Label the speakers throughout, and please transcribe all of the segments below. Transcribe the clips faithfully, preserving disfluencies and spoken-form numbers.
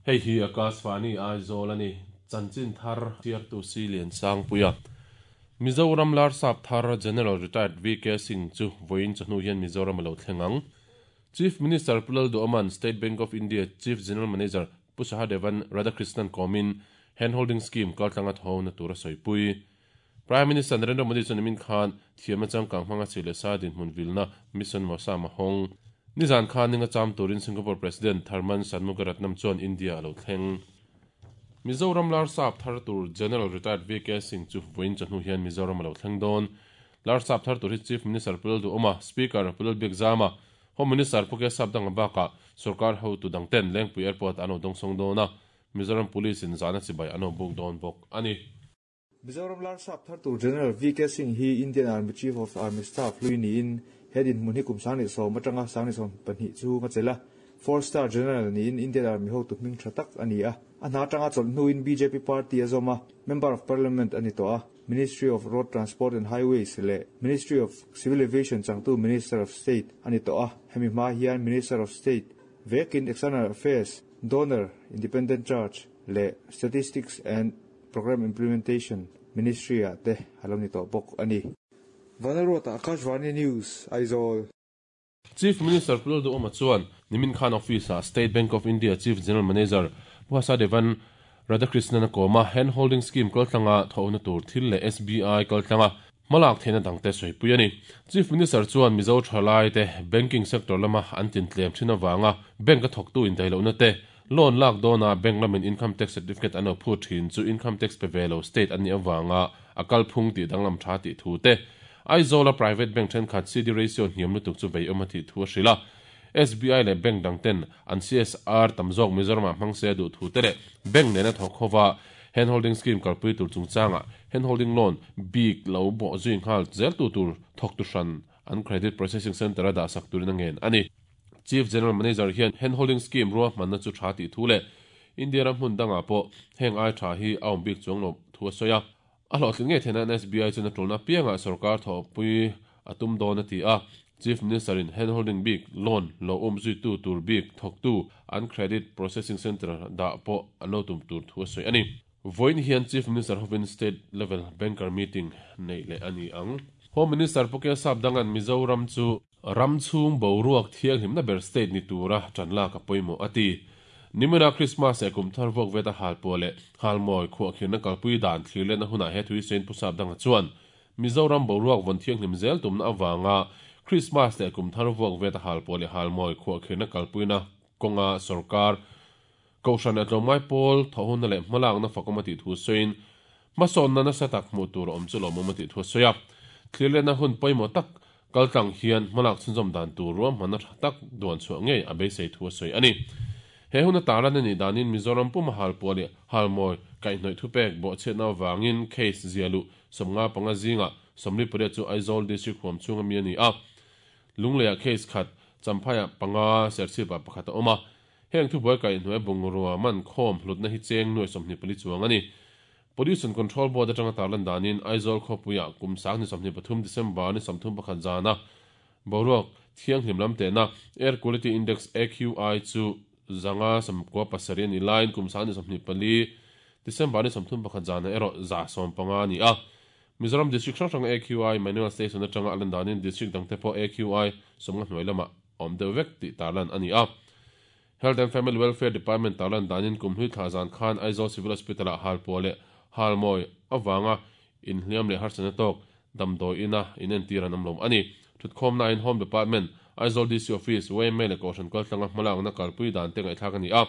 Speaker 1: Hei hi Akashvani Aizawl a ni. Chanchin thar chhiartu si Lian Sangpuia. Mizoram Larsap thar General Retired V K Singh chu vawiin chawhnu hian Mizoram a lo thleng ang. Chief Minister Pu Lalduhoma'n State Bank of India Chief General Manager Pu Sahadevan Radhakrishnan kawmin handholding scheme kaltlanga thawhna tur a sawipui. Prime Minister Narendra Modi chuan nimin khan thiamna changkang hmanga chi leh sa dinhmun vilna Mission Mausam a hawng. Nizan khan ninga cham turin Singapore President Tharman Shanmugaratnam chuan India a lo thleng. Mizoram Larsap thar tur General Retired V K Singh chu vawiin chawhnu hian Mizoram a lo thleng dawn. Larsap thar tur hi Chief Minister Pu Lalduhoma, Speaker Pu Lalbiakzama, Home Minister Pu K Sapdanga bakah sarkar hotu dangten Lengpui Airport an lo dawngsawng dawn a, Mizoram Police in zahna chibai an lo buk dawn bawk a ni.
Speaker 2: Mizoram Larsap thar tur General V K Singh hi Indian Army Chief of Army Staff hlui niin he dinhmun hi kum sangni sawm atanga sangni sawm pahnih chu nga chela. Four star general niin Indian Army hotu hming tha tak a ni a. A hna atanga chawlh hnuin B J P party a zawm a, Member of Parliament ani tawh a. Ministry of Road Transport and Highways leh Ministry of Civil Aviation changtu Minister of State ani tawh a. Hemi hma hian Minister of State vekin External Affairs, D O N E R, Independent Charge leh Statistics and Program Implementation Ministry a te alo ni tawh bawk ani. Vanarota, Akashvani News, Aizawl.
Speaker 1: Chief Minister Pu Lalduhoma chuan nimin khan office a State Bank of India Chief General Manager Pu Sahadevan Radhakrishnan a kawma handholding scheme kaltlanga thawhna tur thil leh S B I kaltlanga hmalak theihna dangte sawipui a ni. Chief Minister chuan Mizo thalai te banking sector lama an tin tlem thin awanga bank a thawktu in dailohna te, loan lak dawna bank lamin income tax certificate an lo phut thin chu income tax pe velo state an ni awanga a kalphung tih danglam tha tih thu te, Aizawl a private bank thenkhat C D ratio hniam lutuk chu vei awm a tih thu a hrilh a. S B I leh bank dangten an C S R tam zawk Mizoram ah hmang se duh thu te leh bank nena thawk khova handholding scheme kalpui tur chungchanga handholding loan bik lo bawh zui nghal zel tu tur thawk tu hran an credit processing center a dah sak turin a ngen ani. Chief General Manager hian handholding scheme ruah hmanna chu tha tih thu leh India ram hmun dangah pawh heng ai tha hi a awm bik chuang lo thu a sawi a. A hlawhtling ngei theihna S B I chuan a tulna piangah sarkar thawhpui a tum dawn a ti a. Chief Minister in handholding bik loan lo um zui tu tur bik thawktu an credit processing center dah pawh an lo tum tur thu a sawi ani. Vawiin hian Chief Minister hovin state level banker meeting nei leh ani ang. Home Minister Pu K Sapdangan Mizoram chu ram chhung boruak thianghlimna ber state ni tura tan lak a pawimawh a ti. Nimina Christmas e kum thar vuak veta hal pawh leh halmawi khuahkhirna kalpui dan thlir lehna hunah he thui sawiin Pu Sapdanga chuan Mizoram boruak vawn thianghlim zel tumna awanga Christmas leh kum thar vuak veta hal pawh leh halmawi khuahkhirna kalpuina kawnga sarkar, kohhran leh tlawmngai pawl thawhhunna leh hmalakna fakawm a tih thu sawiin hmasawnna nasa tak hmuh tur a awm chu lawmawm a tih thu a sawi a. Thlir lehna hun pawimawh tak kaltlang hian hmalak chhunzawm dan tur ruahmanna tha tak duan chhuah ngei a beisei thu a sawi ani. He hun a talan ani danin Mizoram puma hal pawh leh halmawi kaihhnawih thupek bawhchhiatna awangin case zialu sawmnga panga zinga sawmli pariat chu Aizawl district huam chhunga mi ani a. Lungleiah case khat, Champhaiah panga, Serchhipah pakhat a awm a. Heng thubuai kaihhnawih bungrua man khawm hlutna hi cheng nuai sawmhnih pali chuang ani. Pollution Control Board atanga tarlan danin Aizawl khawpuiah kum sang ni sawmhnih pathum December ni sawmthum pakhat zana boruak thianghlim lam tehna Air Quality Index A Q I chu zanga sawmkua pasarih ani laiin kum sang ni sawmhnih pali December ni sawmthum pakhat zana erawh za sawm panga ani a. Mizoram district hrang hrang A Q I manual station atanga a lan danin district dangte pawh A Q I sawmnga hnuai lamah awm deuh vek tih tarlan ani a. Health and Family Welfare Department tarlan danin kum hlui thla zan khan Aizawl Civil Hospital ah hal pawh leh halmawi awanga inhliam leh harsatna tawk damdawi ina inentir an awm lo ani. Thutkhawmna in Home Department, Aizawl D C Office, Y M A leh kohhran kaltlanga hmalakna kalpui dan te ngaihthlak ani a.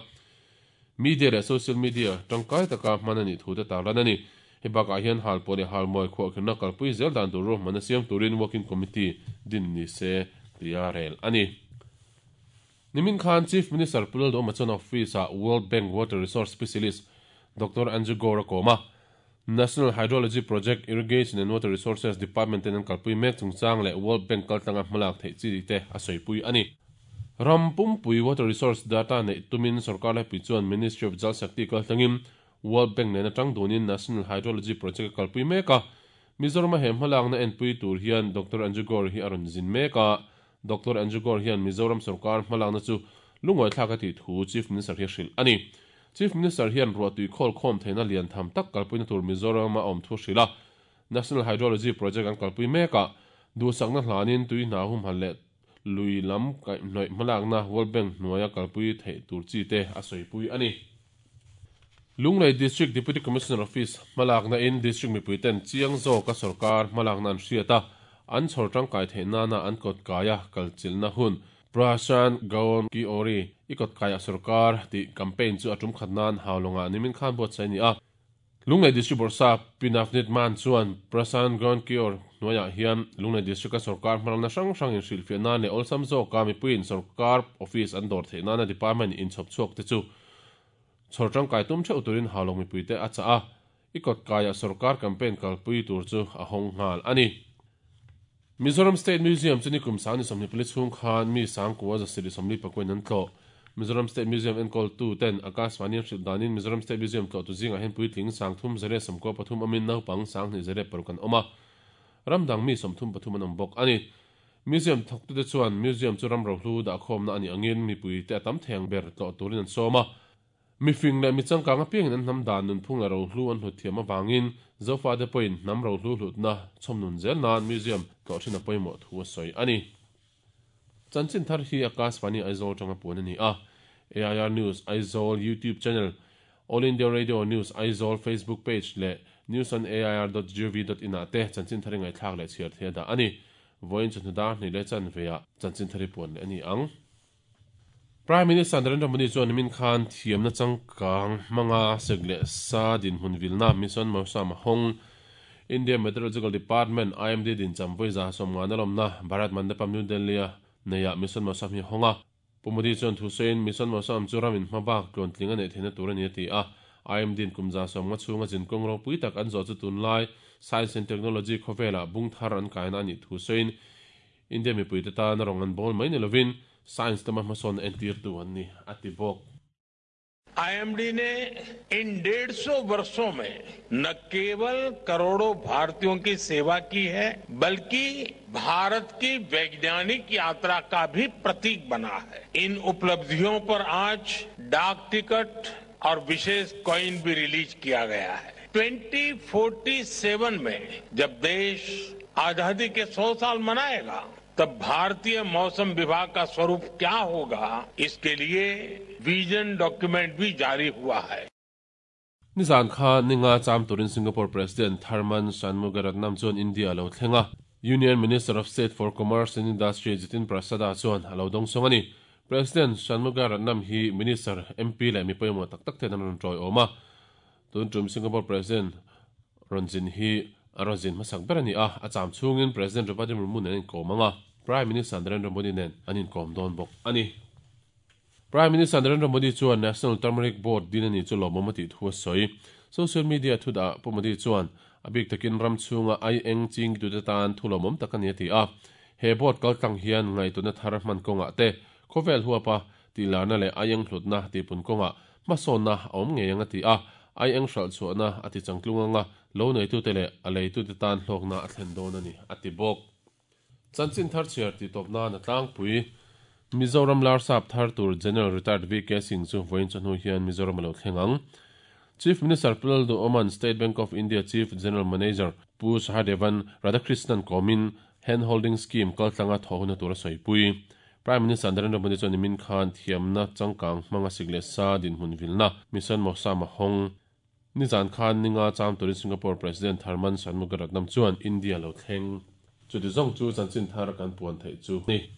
Speaker 1: Media leh social media tangkai taka hman ani thu te tarlan ani. He bakah hian hal pawh leh halmawi khuahkhirna kalpui zel dan tur ruahmanna siam turin working committee din ni se tia rel ani. Nimin khan Chief Minister Pu Lalduhoma chuan office ah World Bank Water Resource Specialist Doctor Andrew Gore a kawm a. National Hydrology Project, Irrigation and Water Resources Department ten an kalpui mek chungchang leh World Bank kaltlanga hmalak theih chi te a sawipui ani. Ram pumpui water resource data nei tumin sarkar laipui chuan Ministry of Jal Shakti kaltlangin World Bank nena tang dunin National Hydrology Project a kalpui mek a. Mizoram a he hmalakna enpui tur hian Doctor Andrew Gore hi a rawn zin mek a. Doctor Andrew Gore hian Mizoram sarkar hmalakna chu lungawi thlak a tih thu Chief Minister hi a hrilh ani. Chief Minister hian ruahtui khawl khawm theihna lian tham tak kalpuina tur Mizoram a awm thu hrilh a. National Hydrology Project an kalpui mek a, duhsakna hlanin tui hna humhalh leh lui lam kaihhnawih hmalakna World Bank hnuaia kalpui theih tur chi te a sawipui a ni. Lunglei District Deputy Commissioner Office hmalakna in District mipui ten chiang zawka sorkar hmalakna an hriat a, an chhawr tangkai theih nana an kawt kaia kalchilhna hun Prashan Gaon Ki Ori i kawt kaia sorkar tih campaign chu a tum khat nan Haulawngah nimin khan buatsaih a ni a. Lunglei District Bawrhsap Pi Navneet Mann chuan Prashan Gaon Ki Or hnuaiah hian Lunglei District-a sorkar hmalakna hrang hrang inhrilhfiah nan leh awlsam zawka mipuiin sorkar office an dawr theih nana department inchhawp chhuak te chu chhawr tangkai tum theuh turin Haulawng mipuite a chah a, i kawt kaiah sorkar campaign kalpui tur chu a hawng nghal a ni. Mizoram State Museum chu nikum sang ni sawmhnih pali chhung khan mi sangkua zasarih sawmli pakuain an tlawh. Mizoram State Museum enkawltu ten Akashvani an hrilh danin Mizoram State Museum tlawhtu zingah hian puitling sangthum zare sawmkua pathum awmin naupang sanghnih zare paruk an awm a, ram dang mi sawmthum pathum an awm bawk a ni. Museum thawktute chuan Museum chu ram rohlu dahkhawmna a nih angin mipuite a tam thei ang ber tlawh turin an sawm a. Mifing leh mi changkang apiangin an hnam dan nunphung leh rohlu an hlut thiam avangin Zofate pawhin hnam rohlu hlutna chhawmnun zel nan Museum tlawh thin a pawimawh thu a sawi a ni. Chanchin thar hi Akashvani Aizawl tanga puan a ni a. A I R News Aizawl YouTube channel, All India Radio News Aizawl Facebook page leh news on A I R dot gov dot in ah te chanchin thar i ngaihthlak leh chhiar thei a dah a ni. Vawiin chawhnu dar hnih leh chanveah chanchin thar i puan leh a ni ang. Prime Minister Narendra Modi chuan nimin khan thiamna changkang hmanga sek leh sa dinhmun vilna Mission Mausam a hawng. India Meteorological Department, I M D dincham vawiza sawmngan a lawmna Bharat Mandapam New Delhi a neiah Mission Mausam hi a hawng a. Pu Modi chuan thusawiin Mission Mausam chu ramin hma bak tluantling a neih theihna tur a ni a ti a. I M D in kum za sawmnga chhunga zinkawng ropui tak an zawh chu tunlai Science and Technology khawvelah bung thar an kaina a nih thusawiin India mipuite tan a rawng an bawl mai ni lovin Science lama hmasawn entirtu an ni a ti bawk.
Speaker 3: I M D ने इन डेढ़ सौ वर्षों में न केवल करोड़ों भारतीयों की सेवा की है बल्कि भारत की वैज्ञानिक यात्रा का भी प्रतीक बना है। इन उपलब्धियों पर आज डाक टिकट और विशेष कॉइन भी रिलीज किया गया है। Twenty forty seven में जब देश आजादी के सौ साल मनाएगा तब भारतीय मौसम विभाग का स्वरूप क्या होगा, इसके लिए विजन डॉक्यूमेंट भी जारी हुआ है।
Speaker 1: Nizan kha ninga cham turin Singapore President Tharman Shanmugaratnam chuan India lo thlenga. Union Minister of State for Commerce and Industry Jitin Prasada chuan alo dawng sawng a ni. President Shanmugaratnam hi Minister M P leh mi pawimawh tak tak ten an rawn tawi awm a. Tun tum Singapore President Ronjin hi a rawn zin hmasak ber a ni a, a cham chhungin President Draupadi Murmu nen an inkawm anga. Prime Minister Narendra Modi nen an inkawm dawn bawk a ni. Prime Minister Narendra Modi chuan National Turmeric Board din a ni chu lawmawm a tih thu a sawi. Social media thu dah Pu Modi chuan a bik takin ram chhunga ai eng ching tute tan thu lawmawm tak a ni a ti a. He board kaltlang hian ngaituna thar hman kawngah te khawvel huapa tih larna leh ai eng hlutna tihpun kawngah hmasawnna a awm ngei ang a ti a. Ai eng hralh chhuahna a ti changtlung anga lo neitute leh a leitute tan hlawkna a thlen dawn a ni a ti bawk. Chanchin thar chhiar tih tawpna na tlangpui Mizoram Larsap thar tur General Retired V K Singh chu vawiin chawhnu hian Mizoram a lo thleng ang. Chief Minister Pu Lalduhoman State Bank of India Chief General Manager Pu Sahadevan Radhakrishnan kawmin Hand Holding Scheme kaltlanga thawhuna tur a sawipui. Prime Minister Narendra Modi chuan nimin khan thiamna changkang hmanga sik leh sa dinhmun vilna Mission Mausam a hawng. Nizan khan ninga cham turin Singapore President Tharman Shanmugaratnam chuan India lo thleng. Chu ti zawng chu chanchin thar kan puan theih chu ni.